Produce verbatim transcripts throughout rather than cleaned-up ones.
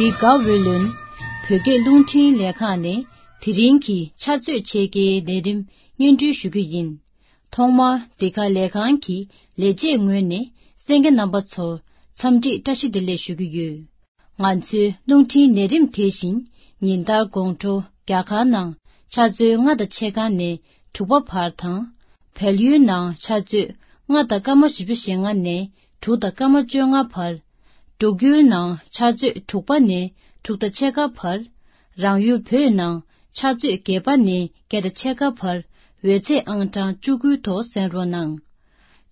དགའ་འོས་ལོན། བོད་སྐད་རླུང་འཕྲིན་ལས་ཁང་ནས་དེ་རིང་གི་ཕྱག་ཚོད་ཕྱེད་ཀའི་ལས་རིམ་སྙན་སྒྲོན་ཞུ་རྒྱུ་ཡིན། ཐོག་མར་འདི་ག་ལས་ཁང་གི་ལས་བྱེད་ངོས་ནས་གསན་མཁན་རྣམ་པ་ཚོར་འཚམས་འདྲི་བཀྲ་ཤིས་བདེ་ལེགས་ཞུ་གི་ཡོད། ང་ཚོའི་རླུང་འཕྲིན་ལས་རིམ་དེ་བཞིན་ཉིན་ལྟར་དགོང་དྲོ་རྒྱ་གར་ནང་ཆུ་ཚོད་ལྔ་དང་ཕྱེད་ཀ་ནས་དྲུག་པ་བར་དང་། བལ་ཡུལ་ནང་ཆུ་ཚོད་ལྔ་དང་སྐར་མ་བཞི་བཅུ་ཞེ་ལྔ་ནས་དྲུག་དང་སྐར་མ་བཅོ་ལྔ་བར། འབྲུག་ཡུལ་ནང་ཆུ་ཚོད་དྲུག་པ་ནས་དྲུག་དང་ཕྱེད་ཀ་བར། རང་ཡུལ་བོད་ནང་ཆུ་ཚོད་བརྒྱད་པ་ནས་བརྒྱད་དང་ཕྱེད་ཀ་བར་འོད་ཚད་ཨང་གྲངས་བཅུ་དགུའི་ཐོག་གསན་རོགས་གནང་།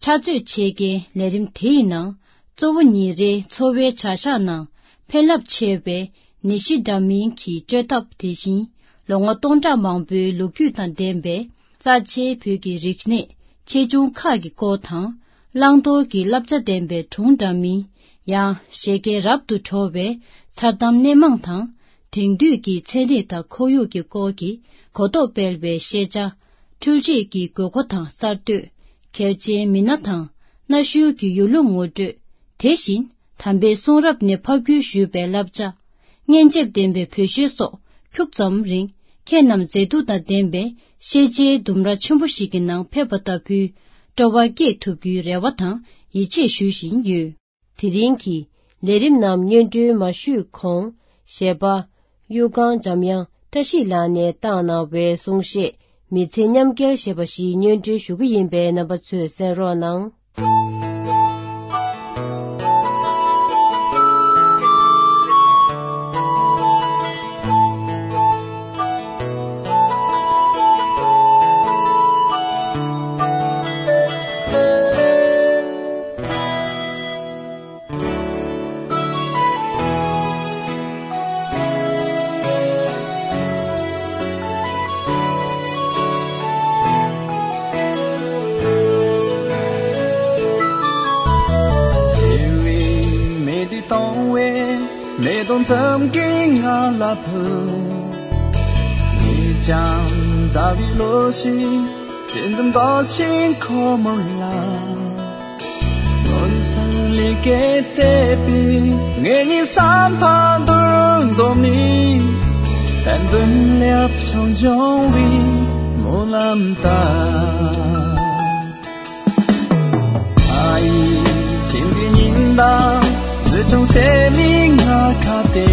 ཕྱག་ཚོད་ཕྱེད་ཀའི་ལས་རིམ་དེའི་ནང་གཙོ་བོ་ཉིན་རེའི་འཚོ་བའི་བྱ་གཞག་ནང་ཕན་རླབས་ཆེ་བའི་ནད་གཞི་འདྲ་མིན་གྱི་བཅོས་ཐབས། དེ་བཞིན་ལོ་ངོ་སྟོང་ཕྲག་མང་པོའི་ལོ་རྒྱུས་དང་ལྡན་པའི་རྩ་ཆེའི་བོད་ཀྱི་རིག་གནས་ཆེ་ཆུང་ཁག་གི་སྐོར་དང་། བླང་དོར་གྱི་བསླབ་བྱ་ལྡན་པའི་སྒྲུང་འདྲ་མིན། ཡང་བཞད་གད་རབ་ཏུ་བྲོ་བའི་མཚར་གཏམ་སྣེ་མང་དང་། དེང་དུས་ཀྱི་ཚན་རིག་དང་ཁོར་ཡུག་གི་སྐོར་གྱི་གོ་རྟོགས་སྤེལ་བའི་ཤེས་བྱ། འཕྲུལ་ཆས་ཀྱི་དགོས་མཁོ་དང་གསར་གཏོད། གལ་ཆེའི་མི་སྣ་དང་གནའ་ཤུལ་གྱི་ཡུལ་ལུང་ངོ་སྤྲོད། དེ་བཞིན་དམ་པའི་གསུང་རབ་ནས་ཕབ་བསྒྱུར་ཞུས་པའི་བསླབ་བྱ། སྙན་འཇེབས་ལྡན་པའི་བོད་གཞས་སོགས་ཁྱུག་ཙམ་རིང་ཁྱེད་རྣམས་མཛེས་སྡུག་དང་ལྡན་པའི་ཤེས་བྱའི་ལྡུམ་ར་ཆེན་པོ་ཞིག་གི་ནང་ཕེབས་པ་ལྟ་བུའི་སྤྲོ་བ་སྐྱེས་ཐུབ་རྒྱུའི་རེ་བ་དང་ཡིད་ཆེས་ཞུ་བཞིན་ཡོད། དེ་རིང་གི་ལས་རིམ་རྣམས་སྙན་སྒྲོན་མ་ཞུས་གོང་། གཞས་པ་གཡུ་སྒང་འཇམ་དབྱངས་བཀྲ་ཤིས་ལགས་ནས་བཏང་གནང་བའི་གསུང་བཤད། མི་ཚེ་མཉམ་སྐྱེལ་ཞེས་པ་ཞིག་སྙན་སྒྲོན་ཞུ་གི་ཡིན་པས། རྣམ་པ་ཚོས་གསན་རོགས་གནང་། མེ་དོང་མཚམས་ཀྱི་ང་ལ་ཕུལ། ངས་ཀྱང་མཛའ་བའི་བློ་ཞིག་ཅི་འཛུམ་འབར་ཞིང་ཁོ་མོ་ལ། སྔོན་སང་ལས་ཀའི་དད་པས་ངེད་གཉིས་བསམ་པ་འདུ་འཛོམས་ནས། གཏན་དུ་ལེགས་བྱུང་འབྱུང་བའི་སྨོན་ལམ་ལྟར། ཨ་ཡེ་ཤིང་གི་ཉིན་དང་ལུས་ཅུང་སེ་མི་ང་ཁ་ཏེ།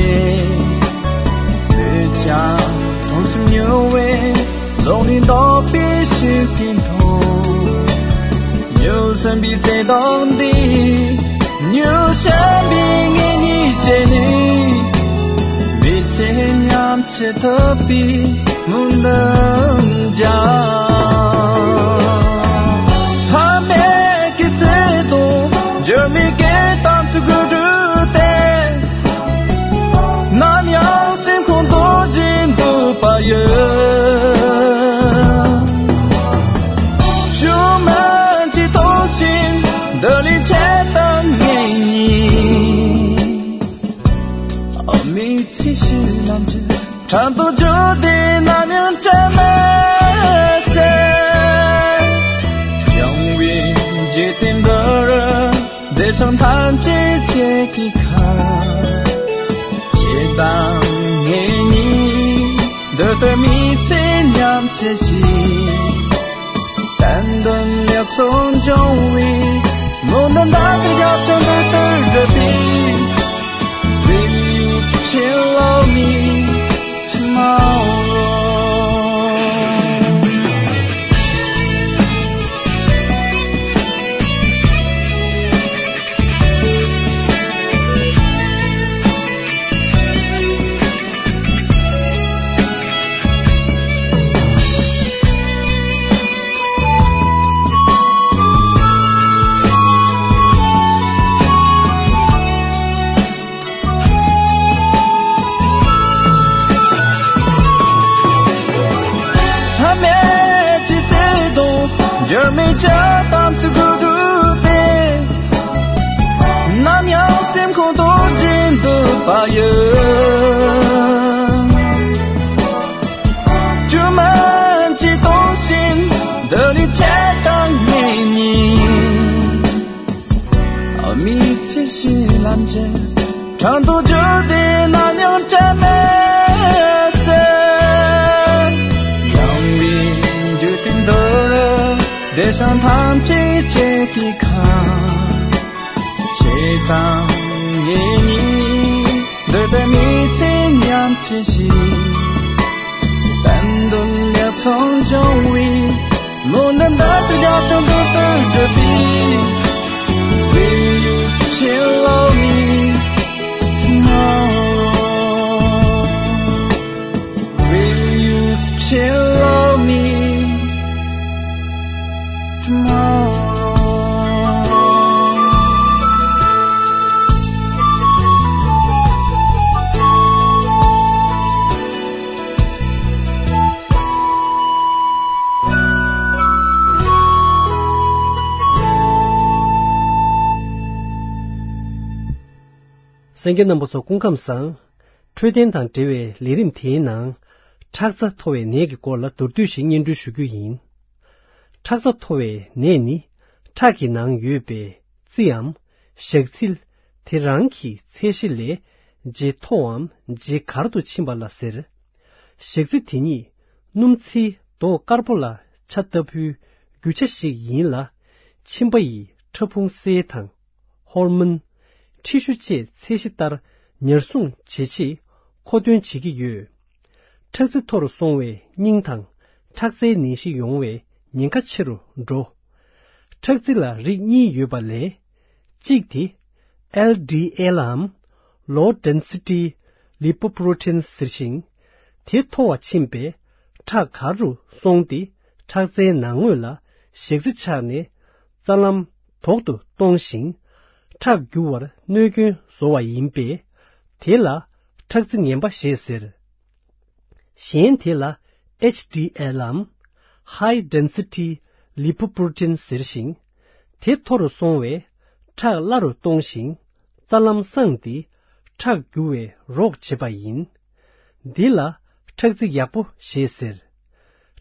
བོད་ཀྱང་དུང་སུམ་ཉུལ་བའི་ལོག་ནས་འདོགས་པའི་ཤུགས་ཀྱིས་མཐོང་། ཉུལ་ཟིན་པའི་བརྩེ་དུང་འདི། ཉུལ་ཟིན་པའི་ངེད་གཉིས་བཅས་ནི། མི་ཚེ་མཉམ་བསྲེ་ཐུབ་པའི་སྨོན་འདུན་རྒྱག། ཕ་མེས་ཀྱི་བརྩེ་དུང་། འགྱུར་མེད་སྐད་གཏམ་ཚིག་དགུ་དྲུག་སྟེ། ནམ་ཡང་སེམས་ཁོང་རྡོ་རྗེ་འདུས་པ་ཡི། ཞུམ་མེད་ཀྱི་ཐོག་ཞིག་འདི་ལས་ཆེ་དང་ངེས་ཉིད། ཨ་མའི་ཚེ་ཕྱི་ལམ་གྱི་འཕྲང་དུ་བརྒྱུད་དེ་ནམ་ཡང་བྲལ་མེད་ཚེ། ཡངས་པའི་འཇིག་རྟེན་འདིར། བདེ་ཆེན་ཐམས་ཅད་ཁྱེད་ཀྱི་ཁ། ཁྱེད་དང་ངེད་གཉིས་འདི་ལྟར་མི་ཚེ་མཉམ་བསྲེ་ཞིང་། གཏན་དུ་ལེགས་སོ་འབྱུང་བའི་སྨོན་འདུན་དང་རྒྱབ་ལྗོངས་འདི་ལྟར་བསྒྲུབས་པའི། ཕ་མེས་ཀྱི་བརྩེ་དུང་། འགྱུར་མེད་ཀྱི་གཏམ་ཚིག་དགུ་དྲུག་སྟེ། ནམ་ཡང་སེམས་ཁོང་རྡོ་རྗེ་འདུས་པ་ཡི། སྒྱུ་མའི་ཐོག་ཞིག་འདི་ལས་ཆེ་དང་ངེས་ཉིད། ཨ་མའི་ཚེ་ཕྱི་ལམ་གྱི་འཕྲང་དུ་བརྒྱུད་དེ་ནམ་ བདེ་ཞིང་ཐམས་ཅད་ཀྱི་ཁམས། ཆེས་གཙང་ངེས་གཉིས། འདོད་པའི་མི་ཚེ་ཉམས་ཅི་ཞིག་བསྟན་དོན་ལེགས་ཚོགས་འབྱུང་བའི། ལོ་འདི་འདྲ་དུ་རྒྱབ་ཅུང་དུ་དུ་འགྲུབ་པའི། Will you still love me tomorrow? Will you still love me tomorrow? གསན་མཁན་རྣམ་པ་ཚོ་སྐུ་ཁམས་བཟང་། འཕྲོད་བསྟེན་དང་འབྲེལ་བའི་ལས་རིམ་དེའི་ནང་། ཁྲག་རྩ་མཐོ་བའི་ནད་ཀྱི་སྐོར་ལ་མདོར་བསྡུས་ཤིག་སྙན་སྒྲོན་ཞུ་རྒྱུ་ཡིན། ཁྲག་རྩ་མཐོ་བའི་ནད་ནི་ཁྲག་གི་ནང་ཡོད་པའི་རྩིའམ་ཞག་ཚིལ་དེ་རང་གི་ཚད་གཞི་ལས་ཇེ་མཐོའམ་ཇེ་གར་དུ་ཕྱིན་པ་ལ་ཟེར། ཞག་ཚིལ་དེ་ཉིད་སྣུམ་ཚིལ་མདོག་དཀར་པོ་ལ་ཆ་ལྟ་བུའི་རྒྱུ་ཆ་ཞིག་ཡིན་ལ། མཆིན་པ་ཡི་ཕྲ་ཕུང་སེལ་དང་། ཧོར་མོན། ཁྲི་ཤུ་བཅས་ཚད་གཞི་ལྟར་ཉར་སྲུང་བྱེད་ཆེད་མཁོ་འདོན་བྱེད་ཀྱི་ཡོད། ཁྲག་རྩི་མཐོ་རུ་སོང་བས་སྙིང་དང་ཁྲག་རྩའི་ནད་གཞི་ཡོང་བའི་ཉེན་ཁ་ཆེ་རུ་འགྲོ། ཁྲག་རྩི་ལ་རིགས་གཉིས་ཡོད་པ་ལས། གཅིག་དེ་ཨེལ་ཌི་ཨེལ་ལའམ་Low Density Lipoprotein ཟེར་ཞིང་། དེ་མཐོ་བ་ཕྱིན་པས་ཁྲག་གར་རུ་སོང་སྟེ་ཁྲག་རྩའི་ནང་ངོས་ལ་ཞག་རྩི་ཆགས་ནས་རྩ་ལམ་དོག་ཏུ་གཏོང་ཞིང་། ཁྲག་རྒྱུ་བར་གནོད་སྐྱོན་བཟོ་བ་ཡིན་པས། དེ་ལ་ཁྲག་རྩི་ངན་པ་ཞེས་ཟེར། གཞན་དེ་ལ་ཨེཆ་ཌི་ཨེལ་ལའམ་High Density Lipoprotein ཟེར་ཞིང་། དེ་མཐོ་རུ་སོང་བས་ཁྲག་སླ་རུ་གཏོང་ཞིང་། རྩ་ལམ་སངས་ཏེ་ཁྲག་རྒྱུ་བའི་རོགས་བྱེད་པ་ཡིན། འདི་ལ་ཁྲག་རྩི་ཡག་པོ་ཞེས་ཟེར།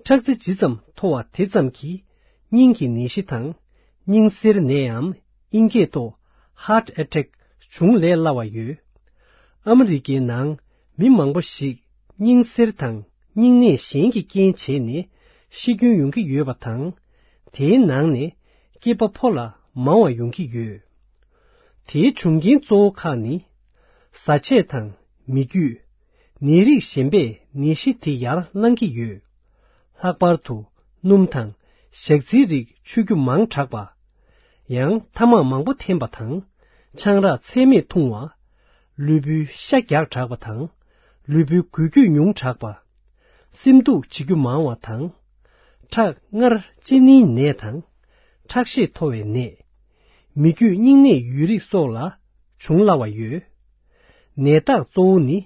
ཁྲག་རྩི་ཇི་ཙམ་མཐོ་བ་དེ་ཙམ་གྱིས་སྙིང་གི་ནད་གཞི་དང་། སྙིང་གསེར་ནད་ཡམ་ཨིན་སྐད་ཐོག་Heart Attack བྱུང་ལས་སླ་བ་ཡོད། ཨ་མི་རི་ཀའི་ནང་མི་མང་པོ་ཞིག་སྙིང་གསེར་དང་སྙིང་ནད་གཞན་གྱི་རྐྱེན་བྱས་ནས་ཤི་སྐྱོན་ཡོང་གི་ཡོད་པ་དང་། དེའི་ནང་ནས་སྐྱེས་པ་ཕོ་ལ་མང་བ་ཡོང་གི་ཡོད། དེའི་བྱུང་རྐྱེན་གཙོ་བོ་ཁག་ནི། བཟའ་ཆས་དང་མི་རྒྱུད། ནད་རིགས་གཞན་པས་ནད་གཞི་དེ་ཡར་བསླང་གི་ཡོད། ལྷག་པར་དུ་སྣུམ་དང་ཞག་ཚིལ་རིགས་མཆོད་རྒྱུ་མང་དྲགས་པ། ཡང་ཐ་མག་མང་པོ་འཐེན་པ་དང་། ཆང་རག་ཚད་མེད་འཐུང་བ། ལུས་པོའི་ཤ་རྒྱགས་དྲགས་པ་དང་། ལུས་པོའི་འགུལ་སྐྱོད་ཉུང་དྲགས་པ། སེམས་སྡུག་བྱེད་རྒྱུ་མང་བ་དང་། ཁྲག་མངར་གཅིན་སྙིའི་ནད་དང་། ཁྲག་ཤེད་མཐོ་བའི་ནད། མི་རྒྱུད་སྙིང་ནད་ཡོད་རིགས་སོགས་ལ་འབྱུང་སླ་བ་ཡོད། ནད་རྟགས་གཙོ་བོ་ནི།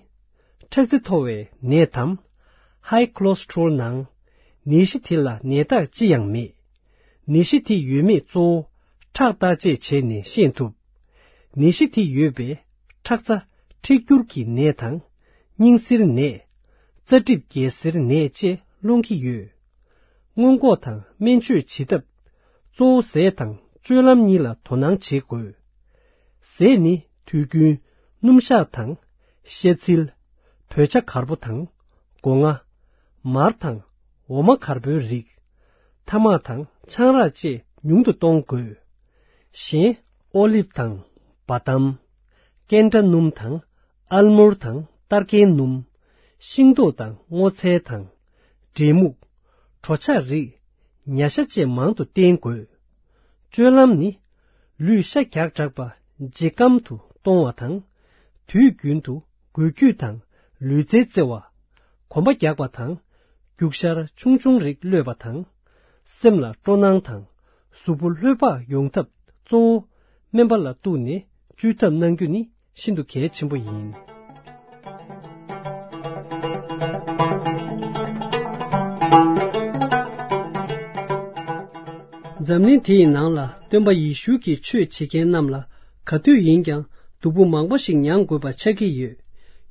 ཁྲག་རྩི་མཐོ་བའི་ནད་དམ། High Cholesterol ནང་། ནད་གཞི་དེ་ལ་ནད་རྟགས་ཅི་ཡང་མེད། ནད་གཞི་དེ་ཡོད་མེད་གཙོ་བོ་ཁྲག་བརྟག་དཔྱད་བྱས་ནས་ཤེས་ཐུབ། ནད་གཞི་དེ་ཡོད་པས་ཁྲག་རྩ་མཁྲེགས་འགྱུར་གྱི་ནད་དང་། སྙིང་གསེར་ནད། རྩ་གྲིབ་རྒྱལ་སྲིར་ནད་བཅས་སློང་གི་ཡོད། སྔོན་འགོག་དང་སྨན་བཅོས་བྱེད་ཐབས། གཙོ་བོ་ཟས་དང་སྤྱོད་ལམ་གཉིས་ལ་དོ་སྣང་བྱེད་དགོས། ཟས་ནི་དུས་རྒྱུན་སྣུམ་ཤ་དང་། ཤ་ཚིལ། བོད་ཇ་གར་པོ་དང་། སྒོ་ང་། མར་དང་འོ་མ་གར་པོའི་རིགས། ཐ་མག་དང་ཆང་རག་བཅས་ཉུང་དུ་གཏོང་དགོས། གཞན་ཨོ་ལིབ་དང་བ་དམ། ཀན་ཏྲ་སྣུམ་དང་། ཨལ་མོར་དང་ཏར་ཀན་སྣུམ། ཤིང་ཏོག་དང་སྔོ་ཚལ་དང་། འབྲས་སྨུག། གྲོ་ཆ་རིགས། ཉ་ཤ་བཅས་མང་དུ་བསྟེན་དགོས། སྤྱོད་ལམ་ནི། ལུས་ཤ་རྒྱགས་དྲགས་པ་ཇེ་སྐམ་དུ་གཏོང་བ་དང་། དུས་རྒྱུན་དུ་འགུལ་སྐྱོད་དང་ལུས་རྩལ་རྩེ་བ། གོམ་པ་རྒྱག་པ་དང་། རྒྱུག་ཤར་ཆུང་ཆུང་རིགས་གློད་པ་དང་། སེམས་ལ་སྤྲོ་སྣང་དང་། གཟུགས་པོ་ལྷོད་པ་ཡོང་ཐབས་གཙོ་བོ། སྨན་པ་ལ་གཏུགས་ནས་བཅོས་ཐབས་གནང་རྒྱུ་ནི་ཤིན་ཏུ་གལ་ཆེན་པོ་ཡིན། འཛམ་གླིང་དེ་ཡི་ནང་ལ་སྟོན་པ་ཡེ་ཤུ་གིས་ཆོས་བྱེད་མཁན་རྣམས་ལ་ག་དུས་ཡིན་ཀྱང་སྡུག་པོ་མང་པོ་ཞིག་མྱངས་དགོས་པ་ཆགས་ཀྱི་ཡོད།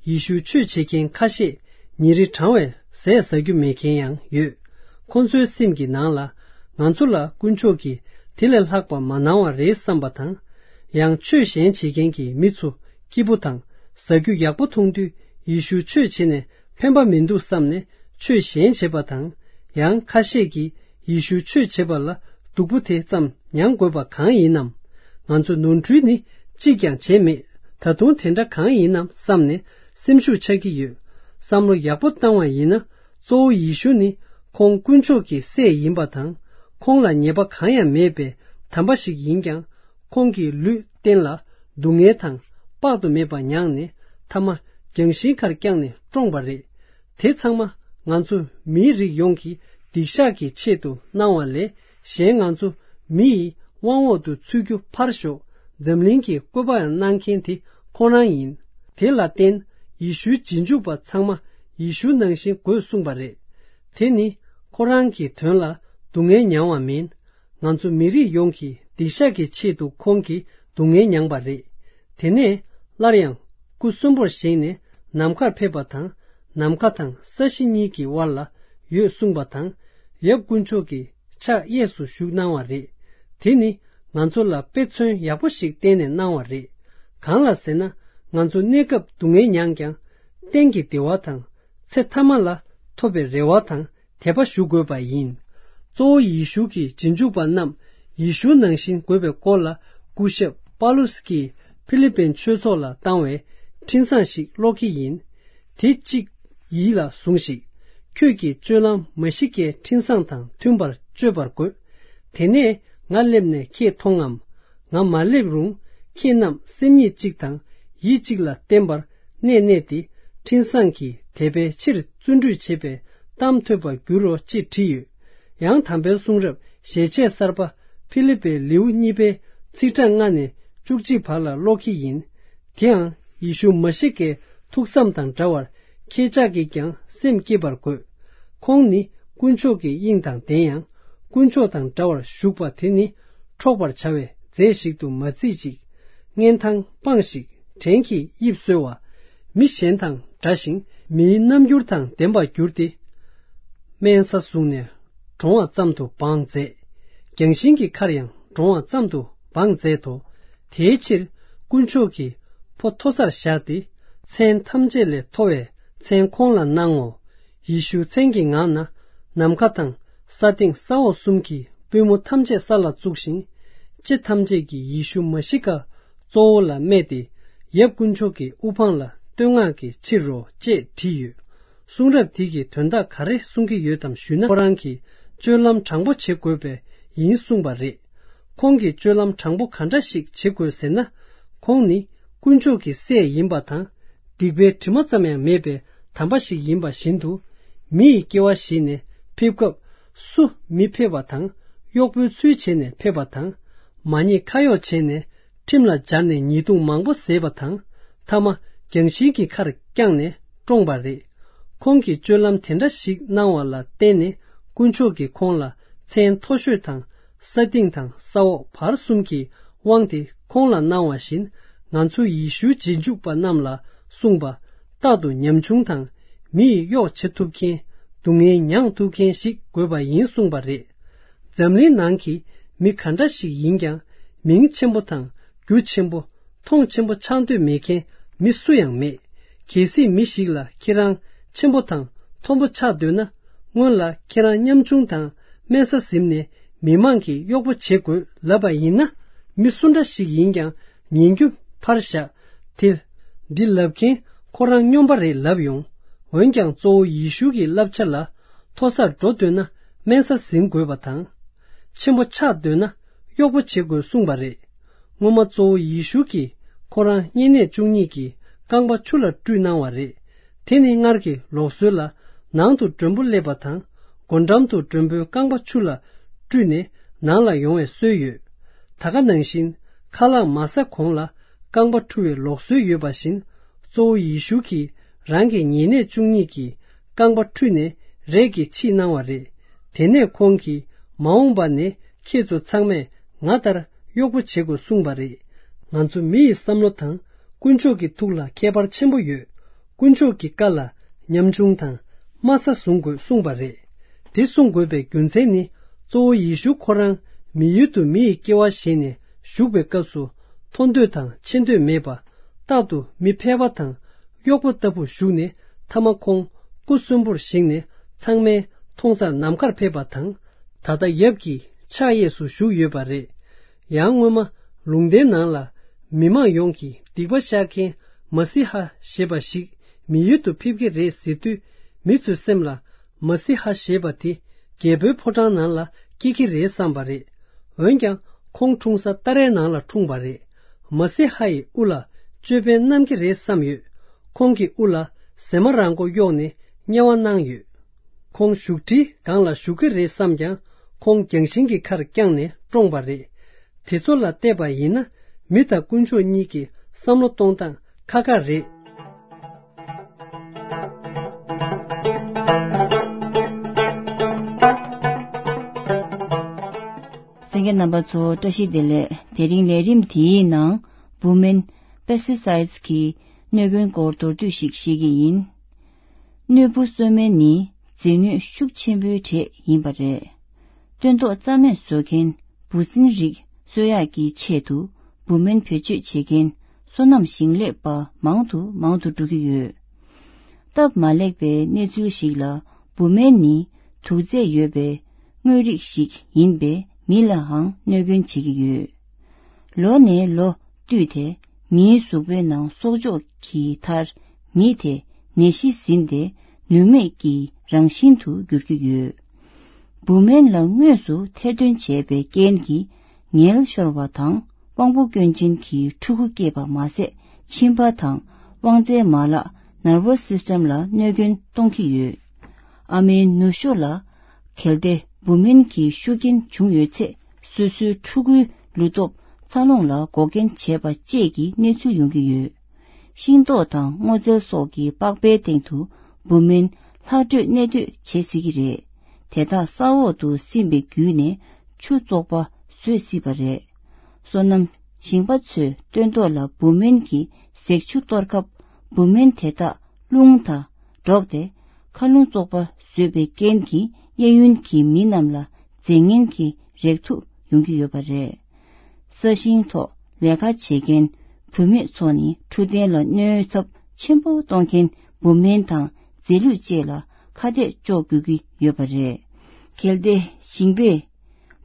ཡེ་ཤུ་ཆོས་བྱེད་མཁན་ཁ་ཤས་ཉིན་རེ་གྲང་བའི་ཟས་ཟ་རྒྱུ་མེད་མཁན་ཡང་ཡོད། ཁོང་ཚོའི་སེམས་ཀྱི་ནང་ལ། ང་ཚོ་ལ་དཀོན་མཆོག་གིས་དེ་ལས་ལྷག་པ་མ་གནང་བ་རེད་བསམ་པ་དང་། ཡང་ཆོས་གཞན་བྱེད་མཁན་གྱི་མི་ཚོ་སྐྱིད་པོ་དང་ཟ་རྒྱུ་ཡག་པོ་མཐོང་དུས། ཡེ་ཤུ་ཆོས་བྱེད་ནས་ཕན་པ་མི་འདུག་བསམ་ནས་ཆོས་གཞན་བྱེད་པ་དང་། ཡང་ཁ་ཤས་ཀྱིས་ཡེ་ཤུ་ཆོས་བྱེད་པ་ལ་ སྡུག་པོ་དེ་ཙམ་མྱང་དགོས་པ་གང་ཡིན་ནམ། ང་ཚོ་ནོར་འཁྲུལ་ནི་གཅིག་ཀྱང་བྱས་མེད། ད་དུང་དེ་འདྲ་གང་ཡིན་ནམ་བསམ་ནས་སེམས་ཤུགས་ཆག་གི་ཡོད། བསམ་བློ་ཡག་པོ་བཏང་བ་ཡིན་ན། གཙོ་བོ་ཡེ་ཤུ་ནི་ཁོང་དཀོན་མཆོག་གི་སྲས་ཡིན་པ་དང་། ཁོང་ལ་ཉེས་པ་གང་ཡང་མེད་པའི་དམ་པ་ཞིག་ཡིན་ཀྱང་། ཁོང་གི་ལུས་རྟེན་ལ་སྡུག་བསྔལ་དང་དཔག་ཏུ་མེད་པ་མྱངས་ནས། མཐའ་མ་རྒྱང་ཤིང་ཁར་བརྐྱངས་ནས་བཀྲོངས་པ་རེད། དེ་ཚང་མ་ང་ཚོ་མིའི་རིགས་ཡོངས་ཀྱི་སྡིག་བཤགས་ཀྱི་ཆེད་དུ་གནང་བ་ལས། གཞན་ང་ཚོ་མི་ཡི་དབང་འོག་ཏུ་ཚུད་རྒྱུ་ཕར་ཞོག་འཛམ་གླིང་གི་བཀོད་པའང་གནང་མཁན་དེ་ཁོ་རང་ཡིན། དེ་ལ་བརྟེན། ཡེ་ཤུའི་རྗེས་འཇུག་པ་ཚང་མ་ཡེ་ཤུ་ནང་བཞིན་དགོས་གསུངས་པ་རེད། དེ་ནི་ཁོ་རང་གི་དོན་ལ་སྡུག་བསྔལ་མྱངས་བ་མིན། ང་ཚོ་མི་རིགས་ཡོངས་ཀྱི་སྡིག་བཤགས་ཀྱི་ཆེད་དུ་ཁོང་གིས་སྡུག་བསྔལ་མྱངས་པ་རེད། དེ་ནས་སླར་ཡང་སྐུ་གསོན་པོར་བཞེངས་ནས་ནམ་མཁར་ཕེབས་པ་དང་། ནམ་མཁའ་དང་ས་གཞི་གཉིས་ཀྱི་དབར་ལ་ཡོད་གསུངས་པ་དང་། ཡབ་དཀོན་མཆོག་གི་ཕྱག་གཡས་སུ་བཞུགས་གནང་བ་རེད། དེ་ནི་ང་ཚོ་ལ་དཔེ་མཚོན་ཡག་པོ་ཞིག་བསྟན་ནས་གནང་བ་རེད། གང་ལ་ཟེར་ན། ང་ཚོ་གནས་སྐབས་སྡུག་བསྔལ་མྱངས་ཀྱང་། གཏན་གྱི་བདེ་བ་དང་། ཚེ་ཐ་མ་ལ་ཐོབ་པའི་རེ་བ་དང་དད་པ་ཞུ་དགོས་པ་ཡིན། གཙོ་བོ་ཡེ་ཤུ་གི་རྗེས་འཇུག་པ་རྣམས་ཡེ་ཤུ་ནང་བཞིན་དགོས་པའི་སྐོར་ལ། སྐུ་ཞབས་པཱ་ལུས་ཀྱིས་ཕི་ལི་པིན་ཆོས་ཚོགས་ལ་བཏང་བའི་འཕྲིན་བཟང་ཞིག་ཀློག་གི་ཡིན། དེ་གཅིག་ཡིད་ལ་ཟུངས་ཤིག་ཁྱོད་ཀྱི་སྤྱོད་ལམ་མ་ཤི་ཀའི་འཕྲིན་བཟང་དང་མཐུན་པར་སྤྱོད་པར་དགོས། དེ་ནས་ང་སླེབས་ནས་ཁྱེད་མཐོང་ངམ། ང་མ་སླེབས་རུང་ཁྱེད་རྣམས་སེམས་ཉིད་གཅིག་དང་ཡིད་གཅིག་ལ་བརྟེན་པར་གནས་གནས་ཏེ། འཕྲིན་བཟང་གི་དད་པའི་ཕྱིར་བརྩོན་འགྲུས་བྱེད་པའི་གཏམ་ཐོས་པར་འགྱུར་རོ། ཅེས་བྲིས་ཡོད། ཡང་དམ་པའི་གསུང་རབ་ཞལ་ཆད་གསར་པ་ཕི་ལི་པའི་ལེའུ་གཉིས་པའི་ཚིག་གྲངས་ལྔ་ནས་བཅུ་གཅིག་བར་ལ་ཀློག་གི་ཡིན། དེའང་ཡེ་ཤུ་མ་ཤི་ཀའི་ཐུགས་བསམ་དང་འདྲ་བར་ཁྱེད་ཅག་གིས་ཀྱང་སེམས་བསྐྱེད་པར་དགོས། ཁོང་ནི་དཀོན་མཆོག་གི་དབྱིངས་དང་ལྡན་ཡང་། དཀོན་མཆོག་དང་འདྲ་བར་བཞུགས་པ་དེ་ནི་འཕྲོག་པར་བྱ་བའི་རྫས་ཤིག་ཏུ་མ་བརྩིས་ཅིག་ངན་ཐང་སྤངས་ཤིག་བྲན་གྱིས་དབྱིབས་གསོལ་བ། མི་གཞན་དང་འདྲ་ཞིང་མིའི་རྣམ་འགྱུར་དང་ལྡན་པར་གྱུར་ཏེ། དམན་ས་བཟུང་ནས་གྲོང་བ་ཙམ་དུ་བང་མཛད། རྒྱང་ཤིང་གི་ཁར་ཡང་གྲོང་བ་ཙམ་དུ་བང་མཛད་དོ། དེའི་ཕྱིར་དཀོན་མཆོག་གིས་ཕོ་མཐོ་སར་བཞག་སྟེ། མཚན་ཐམས་ཅད་ལས་མཐོ་བའི་མཚན་ཁོང་ལ་གནང་ངོ་། ཡེ་ཤུ་མཚན་གྱི་ངང་ན་ནམ་མཁའ་དང་ས་སྟེང་ས་འོག་གསུམ་གྱི་པུས་མོ་ཐམས་ཅད་ས་ལ་བཙུགས་ཤིང་། ལྕེ་ཐམས་ཅད་ཀྱིས་ཡེ་ཤུ་མ་ཤི་ཀ་གཙོ་བོ་ལ་སྨད་དེ། ཡབ་དཀོན་མཆོག་གི་དབུ་འཕང་ལ་བསྟོད་བསྔགས་ཀྱི་ཕྱིར་རོ། ཅེས་བྲིས་ཡོད། གསུང་རབ་དེ་གིས་དོན་དག་ག་རེ་གསུང་གི་ཡོད་དམ་ཞུས་ན། ཁོ་རང་གིས་སྤྱོད་ལམ་དྲང་པོ་བྱེད་དགོས་པས་ཡིན་གསུངས་པ་རེད། ཁོང་གིས་སྤྱོད་ལམ་དྲང་པོ་ག་འདྲ་ཞིག་བྱེད་དགོས་ཟེར་ན། ཁོང་ནི་དཀོན་མཆོག་གི་སྲས་ཡིན་པ་དང་། སྡིག་པའི་དྲི་མ་ཙམ་ཡང་མེད་པའི་དམ་པ་ཞིག་ཡིན་པ་བཞིན་དུ། མི་ཡི་སྐྱེ་བ་བཞེས་ནས་ཕེབས་སྐབས་སུ་མི་ཕེབས་པ་དང་། གཡོག་པོའི་ཚུལ་བྱས་ནས་ཕེབས་པ་དང་། མ་ཉེས་ཁ་གཡོག་བྱས་ནས་ཁྲིམས་ལ་སྦྱར་ནས་ཉེས་རྡུང་མང་པོ་བཟས་པ་དང་། མཐའ་མ་རྒྱང་ཤིང་གི་ཁར་བརྐྱངས་ནས་བཀྲོངས་པ་རེད། ཁོང་གིས་སྤྱོད་ལམ་དེ་འདྲ་ཞིག་གནང་བ་ལ་བརྟེན་ནས། དཀོན་མཆོག་གིས་ཁོང་ལ་མཚན་མཐོ་ཤོས་དང་། ས་སྟེང་དང་ས་འོག་བར་གསུམ་གྱི་དབང་དེ་ཁོང་ལ་གནང་བ་བཞིན། ང་ཚོ་ཡེ་ཤུའི་རྗེས་འཇུག་པ་རྣམས་ལ་གསུངས་པ། རྟག་ཏུ་ཉམ་ཆུང་དང་། མི་ཡི་གཡོག་བྱེད་ཐུབ་མཁན། སྡུག་བསྔལ་མྱང་ཐུབ་མཁན་ཞིག་དགོས་པ་ཡིན་གསུངས་པ་རེད། འཛམ་གླིང་ནང་གི་མི་ག་འདྲ་ཞིག་ཡིན་ཀྱང་། མིང་ཆེན་པོ་དང་། རྒྱུ་ཆེན་པོ། མཐོང་ཆེན་པོ་ཆགས་འདོད་མེད་མཁན་མི་སུ་ཡང་མེད། གལ་སྲིད་མི་ཞིག་ལ་ཁྱེད་རང་ཆེན་པོ་དང་མཐོན་པོ་ཆགས་འདོད་ན། སྔོན་ལ་ཁྱེད་རང་ཉམ་ཆུང་དང་དམན་ས་ཟིན་ནས་མི་མང་གི་གཡོག་པོ་བྱེད་དགོས་ལབ་པ་ཡིན་ན། མི་སུ་འདྲ་ཞིག་ཡིན་ཀྱང་ཉན་རྒྱུ་ཕར་བཞག་དེ། འདི་ལབ་མཁན་ཁོ་རང་སྨྱོན་པ་རེད་ལབ་ཡོང་། འོན་ཀྱང་གཙོ་བོ་ཡེ་ཤུ་གི་བསླབ་བྱ་ལ་མཐོ་སར་འགྲོ་འདོད་ན་དམན་ས་ཟིན་དགོས་པ་དང་། ཆེན་པོ་ཆགས་འདོད་ན་གཡོག་པོ་བྱེད་དགོས་གསུངས་པ་རེད། སྔོན་མ་གཙོ་བོ་ཡེ་ཤུ་གིས་ཁོ་རང་བསྙེན་གནས་བཅུ་གཉིས་ཀྱི་རྐང་པ་ཆུ་ལ་བཀྲུས་གནང་བ་རེད། དེ་ནི་སྔར་གྱི་ལུགས་སྲོལ་ལ་ནང་དུ་མགྲོན་པོ་སླེབས་པ་དང་། སྒོ་འགྲམ་དུ་མགྲོན་པོའི་རྐང་པ་ཆུ་ལ་བཀྲུས་ནས་ནང་ལ་ཡོང་བའི་སྲོལ་ཡོད། ད་ག་ནང་བཞིན་ཁ་ལག་མ་ཟ་གོང་ལ་རྐང་པ་འཁྲུ་བའི་ལུགས་སྲོལ་ཡོད་པ་བཞིན། གཙོ་བོ་ཡེ་ཤུ་གིས་རང་གི་བསྙེན་གནས་བཅུ་གཉིས་ཀྱི་རྐང་པ་འཁྲུས་ནས་རས་ཀྱིས་ཕྱིས་གནང་བ་རེད། དེ་ནས་ཁོང་གིས་མ་འོངས་པ་ནས་ཁྱེད་ཚོ་ཚང་མས་ང་ལྟར་གཡོག་པོ་བྱེད་དགོས་གསུངས་པ་རེད། ང་ཚོ་མི་ཡི་བསམ་བློ་དང་དཀོན་མཆོག་གི་ཐུགས་ལ་ཁྱད་པར་ཆེན་པོ་ཡོད། དཀོན་མཆོག་གི་བཀའ་ལ་ཉམ་ཆུང་དང་དམའ་ས་བཟུང་དགོས་གསུངས་པ་རེད། དེ་གསུང་དགོས་པའི་རྒྱུ་མཚན་ནི། གཙོ་བོ་ཡེ་ཤུ་ཁོ་རང་མི་ཡུལ་དུ་མི་ཡི་སྐྱེ་བ་བཞེས་ནས་བཞུགས་པའི་སྐབས་སུ། མཐོ་འདོད་དང་ཆེ་འདོད་མེད་པ། རྟག་ཏུ་མི་ཕལ་པ་དང་གཡོག་པོ་ལྟ་བུ་བཞུགས་ནས། མཐའ་མ་ཁོང་སྐུ་གསོན་པོར་བཞེངས་ནས་ཚང་མའི་མཐོང་སར་ནམ་མཁར་ཕེབས་པ་དང་། ད་ལྟ་ཡབ་ཀྱི་ ཕྱག་གཡས་སུ་བཞུགས་ཡོད་པ་རེད། ཡང་སྔོན་མ་ལུང་བསྟན་ནང་ལ་མི་མང་ཡོངས་ཀྱིས་སྡིག་པ་བཤགས་མཁན་མ་སི་ཧ་ཞེས་པ་ཞིག་མི་ཡུལ་དུ་ཕེབས་ཀྱི་རེད་ཟེར་དུས། མི་ཚོའི་སེམས་ལ་མ་སི་ཧ་ཞེས་པ་དེ་རྒྱལ་པོའི་ཕོ་བྲང་ནང་ལ་སྐྱེ་གི་རེད་བསམ་པ་རེད། འོན་ཀྱང་ཁོང་འཁྲུངས་ས་ཏཱ་རའི་ནང་ལ་འཁྲུངས་པ་རེད། མ་སི་ཧ་ཡི་དབུ་ལ་ཅོད་པན་བསྣམས་ཀྱི་རེད་བསམ་ཡོད། ཁོང་གི་དབུ་ལ་ཟེ་མ་རང་མགོ་གཡོགས་ནས་དམྱལ་བ་གནང་ཡོད། ཁོང་བཞུགས་ཁྲིའི་སྒང་ལ་བཞུགས་ཀྱི་རེད་བསམ་ཀྱང་། ཁོང་རྒྱང་ཤིང་གི་ཁར་བརྐྱངས་ནས་བཀྲོངས་པ་རེད། དེ་ཚོ་ལ་བལྟས་པ་ཡིན་ན། མི་དང་དཀོན་མཆོག་གཉིས་ཀྱི་བསམ་བློ་གཏོང་སྟངས་ཁ་ཁ་རེད། གསན་མཁན་རྣམ་པ་ཚོ་བཀྲ་ཤིས་བདེ་ལེགས། དེ་རིང་ལས་རིམ་དེའི་ནང་བུ་སྨན་པེ་སི་ཊི་སའི་ཌི་གི་གནོད་སྐྱོན་སྐོར་མདོར་བསྡུས་ཤིག་བཤད་ཀྱི་ཡིན། གནོད་འབུ་གསོད་སྨན་ནི་རྫས་སྣོད་ཤུགས་ཆེན་པོའི་གྲས་ཡིན་པ་རེད། སྟོན་ཐོག་རྩ་མེད་བཟོ་མཁན་འབུ་སྲིན་རིགས་གསོད་ཡག་གི་ཆེད་དུ་འབུ་སྨན་བེད་སྤྱོད་བྱེད་མཁན་སོ་ནམ་ཞིང་ལས་པ་མང་དུ་མང་དུ་འགྲོ་གི་ཡོད། སྟབས་མ་ལེགས་པའི་གནས་ཚུལ་ཞིག་ལ། འབུ་སྨན་ནི་དུག་རྫས་ཡོད་པའི་དངོས་རིགས་ཤིག་ཡིན་པས་མི་ལའང་གནོད་སྐྱོན་བྱེད་ཀྱི་ཡོད། ལོ་ནས་ལོ་བསྟུད་དེ་མིའི་གཟུགས་པོའི་ནང་གསོག་འཇོག་གི་མཐར་མི་དེ་ནད་གཞི་ཟིན་ཏེ་ནུས་མེད་ཀྱི་རང་བཞིན་དུ་འགྱུར་གྱི་ཡོད། འབུ་སྨན་ལ་དངོས་སུ་ཐེར་འདོན་བྱས་པའི་རྐྱེན་གྱིས་ངལ་ཤོར་བ་དང་དབང་པོ་སྐྱོན་ཅན་གྱི་ཕྲུ་གུ་སྐྱེས་པ་མ་ཟད། མཆིན་པ་དང་དབང་རྩའི་མ་ལག་ནར་བོ་སི་སི་ཊམ་ལ་གནོད་སྐྱོན་གཏོང་གི་ཡོད། ཨ་མའི་ནུ་ཞོ་ལ་གལ་ཏེ་འབུ་སྨན་གྱི་ཤུགས་རྐྱེན་བྱུང་ཡོད་ཚེ། སོ་སོའི་ཕྲུ་གུའི་ལུས་སྟོབས་འཚར་ལོངས་ལ་འགོག་རྐྱེན་བྱས་པ་བཅས་ཀྱི་གནས་ཚུལ་ཡོང་གི་ཡོད། ཤིང་ཏོག་དང་སྔོ་ཚལ་སོགས་ཀྱི་པགས་པའི་སྟེང་དུ་འབུ་སྨན་ལྷག་འཕྲོས་གནས་སྡོད་བྱེད་སྲིད་ཀྱི་རེད། དེ་དག་ས་འོག་ཏུ་སིམ་པའི་བརྒྱུད་ནས་ཆུ་བཙོག་པ་བཟོས་སྲིད་པ་རེད། སོ་ནམ་ཞིང་པ་ཚོས་སྟོན་ཐོག་ལ་འབུ་སྨན་གྱི་ཟེགས་ཆུ་གཏོར་སྐབས། འབུ་སྨན་དེ་དག་རླུང་དང་འགྲོགས་ཏེ། མཁའ་རླུང་བཙོག་པ་བཟོས་པའི་རྐྱེན་གྱིས་གཡས་གཡོན་གྱི་མི་རྣམས་ལ་རྫས་ངན་གྱི་རེག་དུག་ཡོང་གི་ཡོད་པ་རེད། ས་ཞིང་ཐོག་ལས་ཀ་བྱེད་མཁན་བུད་མེད་ཚོ་ནི་འཕྲོད་བསྟེན་ལ་གནོད་ཚབས་ཆེན་པོ་གཏོང་མཁན་འབུ་སྨན་དང་རྫས་ལུད་བཅས་ལ་ཁ་གཏད་གཅོག་དགོས་ཀྱི་ཡོད་པ་རེད། གལ་ཏེ་ཞིང་པས་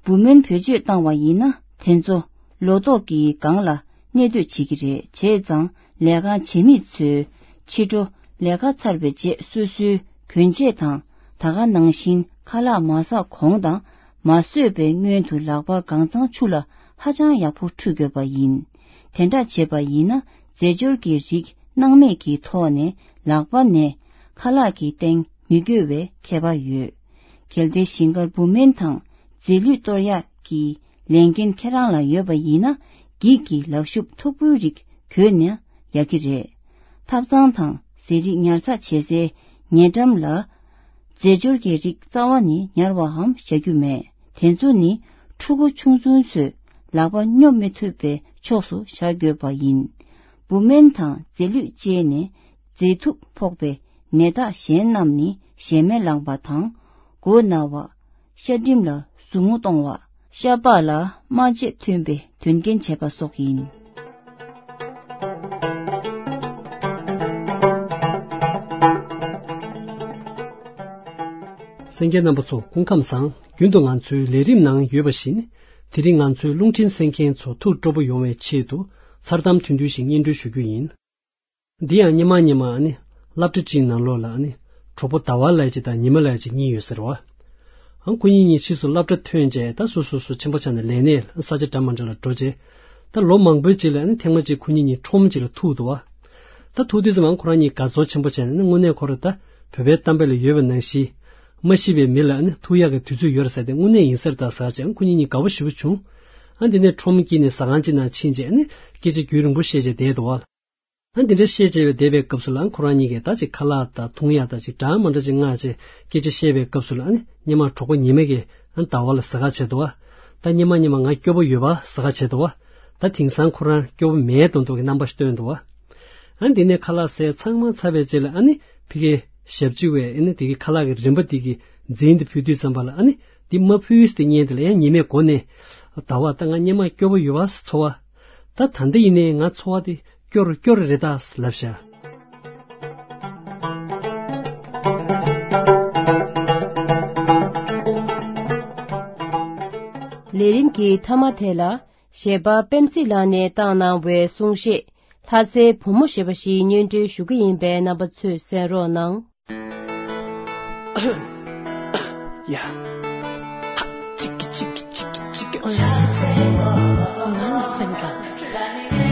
འབུ་སྨན་བེད་སྤྱོད་བཏང་བ་ཡིན་ན། དེ་ཚོ་ལོ་ཏོག་གི་སྒང་ལ་གནས་སྡོད་བྱེད་ཀྱི་རེད། བྱས་ཙང་ལས་ཀ་བྱེད་མི་ཚོས་ཕྱི་དྲོ་ལས་ཀ་ཚར་བའི་རྗེས་སོ་སོའི་གྱོན་ཆས་དང་། ད་ག་ནང་བཞིན་ཁ་ལག་མ་ཟ་གོང་དང་མ་བཟོས་པའི་སྔོན་དུ་ལག་པ་གང་གཙང་ཆུ་ལ་ཧ་ཅང་ཡག་པོ་འཁྲུད་དགོས་པ་ཡིན། དེ་འདྲ་བྱས་པ་ཡིན་ན། རྫས་སྦྱོར་གྱི་རིགས་སྣང་མེད་ཀྱི་ཐོག་ནས་ལག་པ་ནས་ཁ་ལག་གི་སྟེང་མི་འགྱོ་བའི་ཁྱད་པར་ཡོད། གལ་ཏེ་ཞིང་ཁར་འབུ་སྨན་དང་རྫས་ལུད་གཏོར་ཡག་གི་ལས་འགན་ཁྱེད་རང་ལ་ཡོད་པ་ཡིན་ན། འགྱིག་གི་ལག་ཤུབས་མཐུག་པོའི་རིགས་གྱོན་ན་ཡག་གི་རེད། ཐབ་ཚང་དང་ཟས་རིགས་ཉར་ཚགས་བྱེད་སའི་ཉེ་འགྲམ་ལ་རྫས་སྦྱོར་གྱི་རིགས་རྩ་བ་ནས་ཉར་བའམ་བཞག་རྒྱུ་མེད། དེ་ཚོ་ནི་ཕྲུ་གུ་ཆུང་ཆུང་ཚོས་ལག་པ་སྙོབ་མི་ཐུབ་པའི་ཕྱོགས་སུ་བཞག་དགོས་པ་ཡིན། འབུ་སྨན་དང་རྫས་ལུད་བཅས་ནས་རྫས་ཐུག་ཕོག་པའི་ནད་རྟགས་གཞན་རྣམས་ནི་གཞལ་མེད་ལངས་པ་དང་། མགོ་ན་བ། ཤ་འགྲིམ་ལ་ཟུག་རྔུ་གཏོང་བ། ཤ་པགས་ལ་རྨ་བྱད་ཐོན་པའི་དོན་རྐྱེན་བྱེད་པ་སོགས་ཡིན། གསན་མཁན་རྣམ་པ་ཚོ་སྐུ་ཁམས་བཟང་། རྒྱུན་དུ་ང་ཚོའི་ལས་རིམ་ནང་ཡོད་པ་བཞིན། དེ་རིང་ང་ཚོའི་རླུང་འཕྲིན་གསན་མཁན་ཚོ་ཐུགས་སྤྲོ་པོ་ཡོང་བའི་ཆེད་དུ། མཚར་གཏམ་ཐུང་ཐུང་ཞིག་སྙན་སྒྲོན་ཞུ་རྒྱུ་ཡིན། འདི་ཡང་སྔོན་མ་སྔོན་མ་ཨ་ནི་སློབ་གྲྭ་སྤྱིའི་ནང་ལོགས་ལ་ཨ་ནི་གྲོགས་པོ་ཟླ་བ་ལགས་ཅིག་དང་ཉི་མ་ལགས་ཅིག་གཉིས་ཡོད་ཟེར་བ། ཨ་ཁོ་གཉིས་གཉིས་ཕྱིས་སུ་སློབ་གྲྭ་ཐོན་རྗེས་ད་སོ་སོ་སོ་ཆེན་པོ་ཆགས་ནས་ལས་གནས་ས་ཆ་འདྲ་མ་འདྲ་ལ་འགྲོ་རྗེས། ད་ལོ་མང་པོའི་རྗེས་ལ་ཨ་ནི་ཐེངས་མ་གཅིག་ཁོ་གཉིས་གཉིས་ཁྲོམ་གཅིག་ལ་ཐུག་འདུག་བ། ད་ཐུག་དུས་ཙམ་ཨ་ཁོ་རང་གཉིས་དགའ་ཚོར་ཆེན་པོ་བྱས་ནས་ཨ་ནི་དངོས་གནས་ཁོ་རང་ད་བོད་པའི་གཏམ་དཔེ་ལ་ཡོད་པ་ནང་བཞིན། མ་ཤི་བའི་མི་ལ་ཨ་ནི་ཐུག་ཡག་གི་དུས་ཚོད་ཡོད་རེད་ཟེར་ཏེ་དངོས་གནས་ཡིན་ས་རེད་ད་ཟེར་བྱས་ཨ་ཁོ་གཉིས་གཉིས་དགའ་པོ་ཞེ་པོ་བྱུང་། ཨ་འདི་ནས་ཁྲོམ་དཀྱིལ་ནས་ཟ་ཁང་གཅིག་ནང་ཕྱིན་རྗེས་ཨ་ནི་སྐད་ཆ་རྒྱུན་རིང་པོ་བཤད་བྱས་བསྡད་འདུག་བ། ཨ་འདི་འདྲ་བཤད་བྱས་པའི་བསྡད་པའི་སྐབས་སུ་ལ་ཨ་ཁོ་རང་གཉིས་ཀས་ད་ཅིག་ཁ་ལག་དང་འཐུང་ཡག་དང་ཅིག་འདྲ་མ་འདྲ་ཅིག་མངགས་བྱས་སྐད་ཆ་བཤད་པའི་སྐབས་སུ་ལ་ཨ་ནི་སྔོན་མ་གྲོགས་པོ་ཉི་མ་གིས་ཨ་ནི་ཟླ་བ་ལ་ཟ་ཁ་བྱས་འདུག་བ། ད་སྔོན་མ་སྔོན་མ་ང་སྐྱོ་པོ་ཡོད་པ་ཟ་ཁ་བྱས་འདུག་བ། ད་དེང་སང་ཁོ་རང་སྐྱོ་པོ་མེད་མདོག་མདོག་གི་རྣམ་པ་ཞིག་སྟོན་འདུག་བ། ཨ་འདི་ནས་ཁ་ལག་ཟས་ཚང་མ་ཚར་བའི་རྗེས་ལ་ཨ་ནི་ཕ་གི་ཞབས་ཕྱི་བས་ཨ་ནི་དེ་གི་ཁ་ལག་གི་རིན་པ་དེ་གི་འཛིན་དེ་ཕུལ་དུས་ཙམ་པ་ལ་ཨ་ནི་དེ་མ་ཕུལ་ཟེར་ཏེ་ཉན་དེ་ལ་ཡང་ཉི་མས་མགོ་ནས་ཟླ་བ་ད་ང་སྔོན་མ་སྐྱོ་པོ་ཡོད་པ་ཚོར་བ། ད་ད་ལྟ་ཡིན་ནའི་ང་ཚོར་བ་དེ། སྐྱོ་རུ་སྐྱོ་རུ་རེད་ད་ལབ་བཞག་ལས་རིམ་གྱི་མཐའ་མ་དེ་ལ་གཞས་པ་པེམ་སི་ལགས་ནས་བཏང་གནང་བའི་གསུང་བཤད། ལྷ་སའི་བུ་མོ་ཞེས་པ་ཞིག་སྙན་སྒྲོན་ཞུ་གི་ཡིན་པས། རྣམ་པ་ཚོས་གསན་རོགས་གནང་། ཡ། ཧ། ཅིག་གི་ཅིག་གི་ཅིག་གི་ཅིག་གི། ཨོ་ཡ། སེམས་ཀ།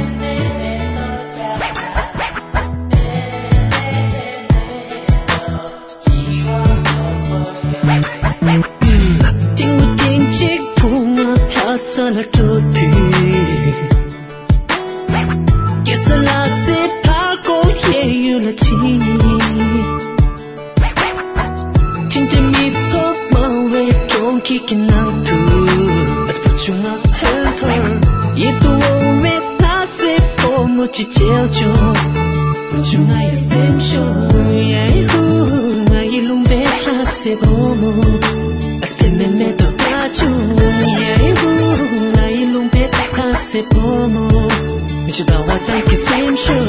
ཏིང་ངུ་ཏིང་གཅིག་བུ་ང་ལྷ་ས་ལ་འགྲོ་དུས། ཀེ་ས་ལ་སེ་ཕ་ཀོ་ཡེ་ཡུ་ལ་ཕྱིན། ཐིང་ཐིང་མི་ཚོགས་མང་བའི་གྲོང་ཁྱེར་གྱི་ནང་དུ། ཨ་བུ་ཆུང་ང་ཧོན་ཐོར་ཡིད་དུ་འོང་བའི་ལྷ་སའི་བུ་མོ་ཅིག་མཇལ་བྱུང་། བུ་ཆུང་ང་ཡི་སེམས་ཤོར་ཡ་ཧུ། ང་ཡི་ལུང་པའི་ལྷ་སའི་བུ་མོ། ཨ་སྤེ་མེ་མེ་ཏོག་ལྟ་བྱུང་ཡ་ཧུ། ང་ཡི་ལུང་པའི་ལྷ་སའི་བུ་མོ། མི་ཤི་ཟླ་བ་ཙམ་གྱི་སེམས་ཤོར།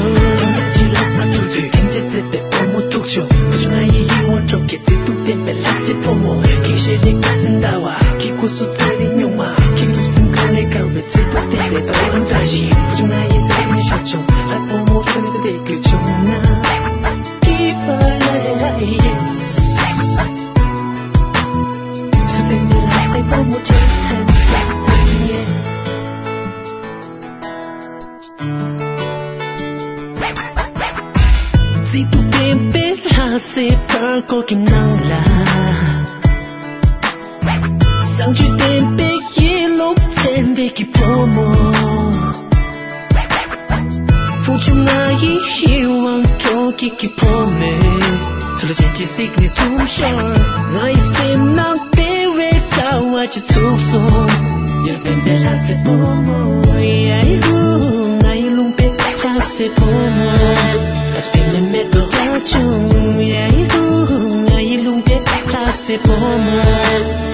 ཅི་ལ་ས་འཁྲུག་དུས་ཁྱིམ་ཆེ་ཚེ་པའི་བུ་མོ་ཐུག་བྱུང་། བུ་ཆུང་ང་ཡི་ཡིད་འོང་གྲོགས་ཀྱི་ཚིག་ཏུ་བསྟན་པའི་ལྷ་སའི་བུ་མོ། ཁྱིམ་ཤེས་ལེགས་པ་སེམས་ཟླ་བ། ཁྱི་ཁུ་སུ་ཚེ་རིང་སྨྱུག་མ། ཁྱིམ་དུ་སེམས་ཁ་ལས་དཀར་བའི་ཚིག་ཏུ་བསྟན་པའི་ཟླ་བ་ལ་འདྲ་ཞིང་། བུ་ཆུང་ང་ཡི་སེམས་ཤ་ཆུང་། ལྷ་སའི་བུ་མོ་ཁྱོད་ནི་ཚེ་དེ་དགོས་བྱུང་ན། Keep on loving, yes. ཚེ་དེ་ནི་ལྷ་སའི་བུ་མོ་ཁྱོད་ཚེ་དེ་ཡེ། ཚིག་ཏུ་བསྟན་པའི་ལྷ་སའི་བར་སྐོར་གྱི་ནང་ལ། བཟང་སྤྱོད་ལྡན་པའི་ཡིད་བློ་ཚན་ལྡན་གྱི་བུ་མོ། བུ་ཆུང་ང་ཡི་ཡིད་དབང་སྤྲོ་སྐྱིད་ཀྱི་བུ་མོས། ཚུལ་ཅན་གྱི་གཟིགས་ནས་འཛུམ་ཤོར། ང་ཡི་སེམས་ནང་བདེ་བའི་ཟླ་བ་ཅིག་ཚུགས་སོང་། ཡར་འཕེན་པའི་ལྷ་སའི་བུ་མོ་ཡ་ཧུ། ང་ཡི་ལུང་པའི་ལྷ་སའི་བུ་མོ། ཨ་སྤེ་མེ་མེ་ཏོག་ལྟ་བྱུང་ཡ་ཧུ། ང་ཡི་ལུང་པའི་ལྷ་སའི་བུ་མོ།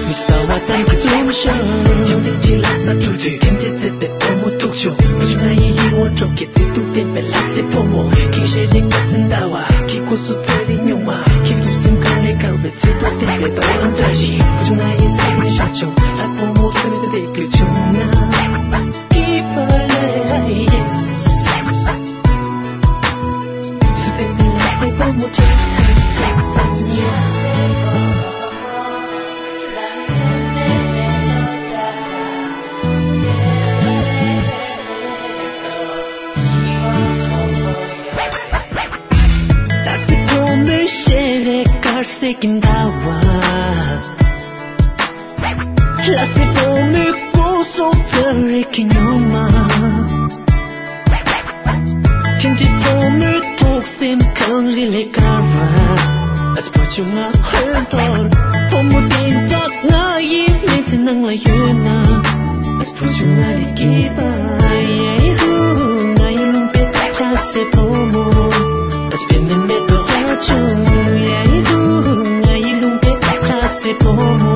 མི་ཤི་ཟླ་བ་ཙམ་གྱི་འཛུམ་ཤོར། ཡང་ཏིག་ཅི་ལ་ས་འཁྲུག་དུས་ཁྱིམ་ཆེ་ཚེ་པའི་བུ་མོ་ཐུག་བྱུང་། བུ་ཆུང་ང་ཡི་ཡིད་འོང་གྲོགས་ཀྱི་ཚིག་ཏུ་བསྟན་པའི་ལྷ་སའི་བུ་མོ། ཁྱིམ་ཤེས་ལེགས་པ་སེམས་ཟླ་བ། ཁྱི་ཁུ་སུ་ཚེ་རིང་སྨྱུག་མ། ཁྱིམ་དུ་སེམས་ཁ་ལས་དཀར་བའི་ཚིག་ཏུ་བསྟན་པའི་ཟླ་བ་ལ་འདྲ་ཞིང་། བུ་ཆུང་ང་ཡི་སེམས་ཤ་ཆུང་། ལྷ་སའི་བུ་མོ་ཁྱོད་ནི་ཚེ་དེ་དགོས་བྱུང་ན། Keep on loving, yes. ཚེ་དེ་ནི་ལྷ་སའི་བུ་མོ་ཁྱོད་ཚེ་དེ་ཡེ། ལྷ་སའི་བུ་མོའི་ཞལ་རས་དཀར་གསལ་གྱི་ཟླ་བ། ལྷ་སའི་བུ་མོའི་སྐུ་གཟུགས་ཚ་རེག་གི་སྨྱུག་མ། ཁྱིམ་མཚེས་བུ་མོའི་ཐུགས་སེམས་གངས་རི་ལས་དཀར་བ། ཨ་ཙི་བུ་ཆུང་ང་ཧོན་ཐོར། བུ་མོ་དེ་འདྲ་ང་ཡི་མི་ཚེ་ནང་ལ་ཡོད་ན། ཨ་ཙི་བུ་ཆུང་ང་ལས་སྐྱིད་པ་ཡེ་ཧུ། ང་ཡི་ལུང་པའི་ལྷ་སའི་བུ་མོ། ཨ་ཙི་སྤེ་མེ་མེ་ཏོག་ལྟ་བྱུང་ཡེ་ཧུ། ང་ཡི་ལུང་པའི་ལྷ་སའི་བུ་མོ།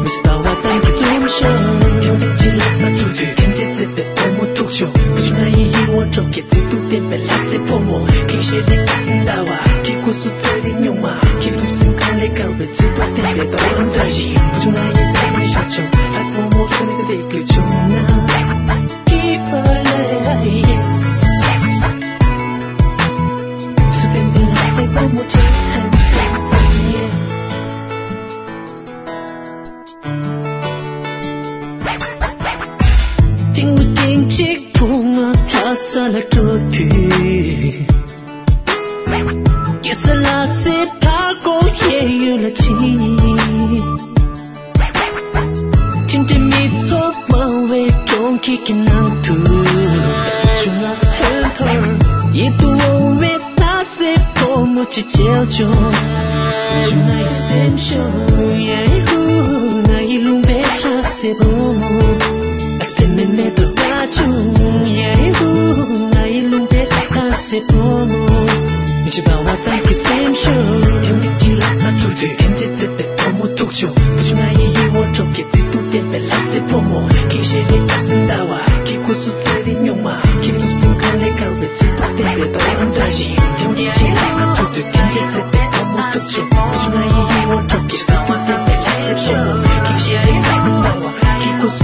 མི་ཤི་ཟླ་བ་ཙམ་གྱི་འཛུམ་ཤོར། ཡང་ཏིག་ཅི་ལ་ས་འཁྲུག་དུས་ཁྱིམ་མཚེས་ཚེ་པའི་བུ་མོ་ཐུག་བྱུང་། བུ་ཆུང་ང་ཡི་ཡིད་འོང་གྲོགས་ཀྱི་ཚིག་ཏུ་བསྟན་པའི་ལྷ་སའི་བུ་མོ། ཁྱིམ་ཤེས་ལེགས་པ་སེམས་ཟླ་བ། ཁྱི་ཁུ་སུ་ཚེ་རིང་སྨྱུག་མ། ཁྱིམ་དུ་སེམས་ཁ་ལས་དཀར་བའི་ཚིག་ཏུ་བསྟན་པའི་ཟླ་བ་ལ་འདྲ་ཞིང་། བུ་ཆུང་ང་ཡི་སེམས་ཤ་ཆུང་། ལྷ་སའི་བུ་མོ་ཁྱོད་ནི་ཚེ་དེ་དགོས་བྱུང་ན། Keep on loving, yes. ཚེ་དེ་ནི་ལྷ་སའི་བུ་མོ་ཁྱོད་ཚེ་དེ་ཡེ། ཏིང་ངུ་ཏིང་གཅིག་བུ་ང་ལྷ་ས་ལ་འགྲོ་དུས། ཀེ་ས་ལ་སེ་ཕ་ཀོ་ཡེ་ཡུ་ལ་ཕྱིན། ཐིང་ཐིང་མི་ཚོགས་མང་བའི་གྲོང་ཁྱེར་གྱི་ནང་དུ། ཆུང་ང་ཧོན་ཐོར་ཡིད་དུ་འོང་བའི་ལྷ་སའི་བུ་མོ་ཅིག་མཇལ་བྱུང་། བུ་ཆུང་ང་ཡི་སེམས་ཤོར་ཡེ་ཧུ། ང་ཡི་ལུང་པའི་ལྷ་སའི་བུ་མོ། ཨ་ཙི་སྤེ་མེ་མེ་ཏོག་ལྟ་བྱུང་ཡེ་ཧུ། ང་ཡི་ལུང་པའི་ལྷ་སའི་བུ་མོ། མི་ཤི་ཟླ་བ་ཙམ་གྱི་སེམས་ཤོར། ཡང་ཏིག་ཅི་ལ་ས་འཁྲུག་དུས་ཁྱིམ་མཚེས་ཚེ་པའི་བུ་མོ་ཐུག་བྱུང་། བུ་ཆུང་ང་ཡི་ཡིད་འོང་གྲོགས་ཀྱི་ཚིག་ཏུ་བསྟན་པའི་ལྷ་སའི་བུ་མོ། ཁྱིམ་ཤེས་ལེགས་པ་སེམས་ཟླ་བ། ཁྱི་ཁུ་སུ་ཚེ་རིང་སྨྱུག་མ། ཁྱིམ་དུ་སེམས་ཁ་ལས་དཀར་བའི་ཚིག་ཏུ་བསྟན་པའི་ཟླ་བ་ལ་འདྲ་ཞིང་། ཡང་ཏིག་ཅི་ལ་ས་འཁྲུག་དུས་ཁྱིམ་མཚེས་ཚེ་པའི་བུ་མོ་ཐུག་བྱུང་། བུ་ཆུང་ང་ཡི་ཡིད་འོང་གྲོགས་ཀྱི་ཚིག་ཏུ་བསྟན་པའི་ལྷ་སའི་བུ་མོ། ཁྱིམ་ཤེས་ལེགས་པ་སེམས་ཟླ་བ། ཁྱི་ཁུ་སུ་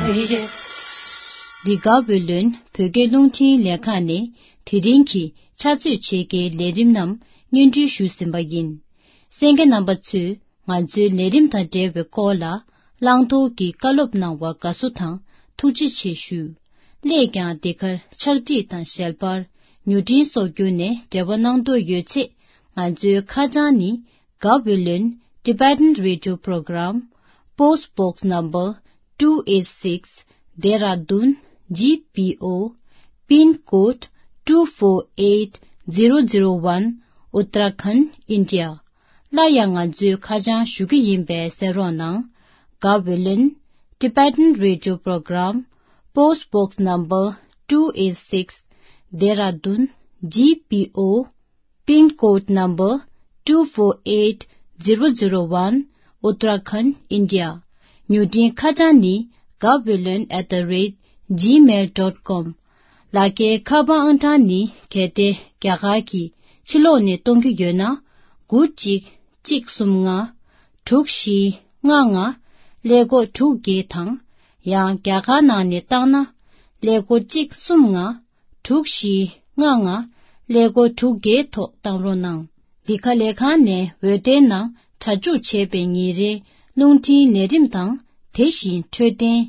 འདི་ག་བོད་ལོན་བོད་སྐད་རླུང་འཕྲིན་ལས་ཁང་ནས་དེ་རིང་གི་ཕྱག་ཚོད་ཕྱེད་ཀའི་ལས་རིམ་རྣམས་སྙན་སྒྲོན་ཞུས་ཟིན་པ་ཡིན། གསན་མཁན་རྣམ་པ་ཚོས་ང་ཚོའི་ལས་རིམ་དང་འབྲེལ་བའི་སྐོར་ལ་བླང་དོར་གྱི་བཀའ་སློབ་གནང་བར་དགའ་བསུ་དང་ཐུགས་རྗེ་ཆེ་ཞུ། སླད་ཀྱང་འདི་གར་ཕྱག་བྲིས་དང་ཞལ་པར་མྱུར་འཕྲིན་སོགས་བརྒྱུད་ནས་འབྲེལ་བ་གནང་འདོད་ཡོད་ཚེ། ང་ཚོའི་ཁ་བྱང་ནི། Gaweylon Tibetan Radio Program, Post Box Number two eight six, Dehradun G P O, Pin Code two four eight zero zero one, Uttarakhand, India. སླར་ཡང་ང་ཚོའི་ཁ་བྱང་ཞུ་གི་ཡིན་པས་གསན་རོགས་གནང་། Gaweylon Tibetan Radio Program, Post Box Number two eight six, Dehradun G P O, Pin Code Number two four eight zero zero one, Uttarakhand, India. མྱུར་འཕྲིན་ཁ་བྱང་ནི། Gaweylon at the rate gmail dot com. ལག་འཁྱེར་ཁ་པར་ཨང་གྲངས་ནི། གལ་ཏེ་རྒྱ་གར་གྱི་ཕྱི་ལོགས་ནས་གཏོང་གི་ཡོད་ན། དགུ་གཅིག་གཅིག་གསུམ་ལྔ། དྲུག་བཞི་ལྔ་ལྔ། ཀླད་ཀོར་དྲུག་བརྒྱད་དང་། ཡང་རྒྱ་གར་ནང་ནས་བཏང་ན། ཀླད་ཀོར་གཅིག་གསུམ་ལྔ། དྲུག་བཞི་ལྔ་ལྔ། ཀླད་ཀོར་དྲུག་བརྒྱད་ཐོག་བཏང་རོགས་གནང་། འདི་ག་ལས་ཁང་ནས་འོད་སྡེར་ནང་སྒྲ་འཇུག་བྱས་པའི་ཉིན་རེའི་རླུང་འཕྲིན་ལས་རིམ་དང་། དེ་བཞིན་འཕྲོད་བསྟེན།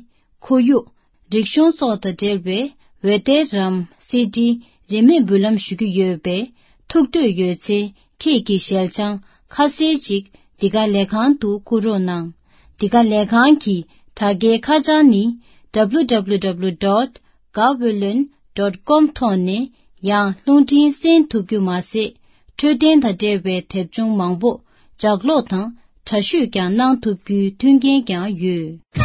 ཁོར་ཡུག་རིག་གཞུང་སོགས་དང་འབྲེལ་བའི་འོད་སྡེར་རམ། སི་ཌི། རིན་མེད་འབུལ་ལམ་ཞུ་རྒྱུ་ཡོད་པས། ཐུགས་འདོད་ཡོད་ཚེ། ཁྱེད་ཀྱི་ཞལ་བྱང་ཁ་གསལ་ཅིག་འདི་ག་ལས་ཁང་དུ་བསྐུར་རོགས་གནང་། འདི་ག་ལས་ཁང་གི་དྲ་རྒྱའི་ཁ་བྱང་ནི། W W W dot gaweylon dot com ཐོག་ནས་ཡང་རླུང་འཕྲིན་གསན་ཐུབ་རྒྱུ་མ་ཟད། འཕྲོད་བསྟེན་དང་འབྲེལ་བའི་དེབ་ཆུང་མང་པོ་ལྗགས་ཀློག་དང་དྲ་བཤུས་ཀྱང་གནང་ཐུབ་རྒྱུའི་མཐུན་རྐྱེན་ཀྱང་ཡོད།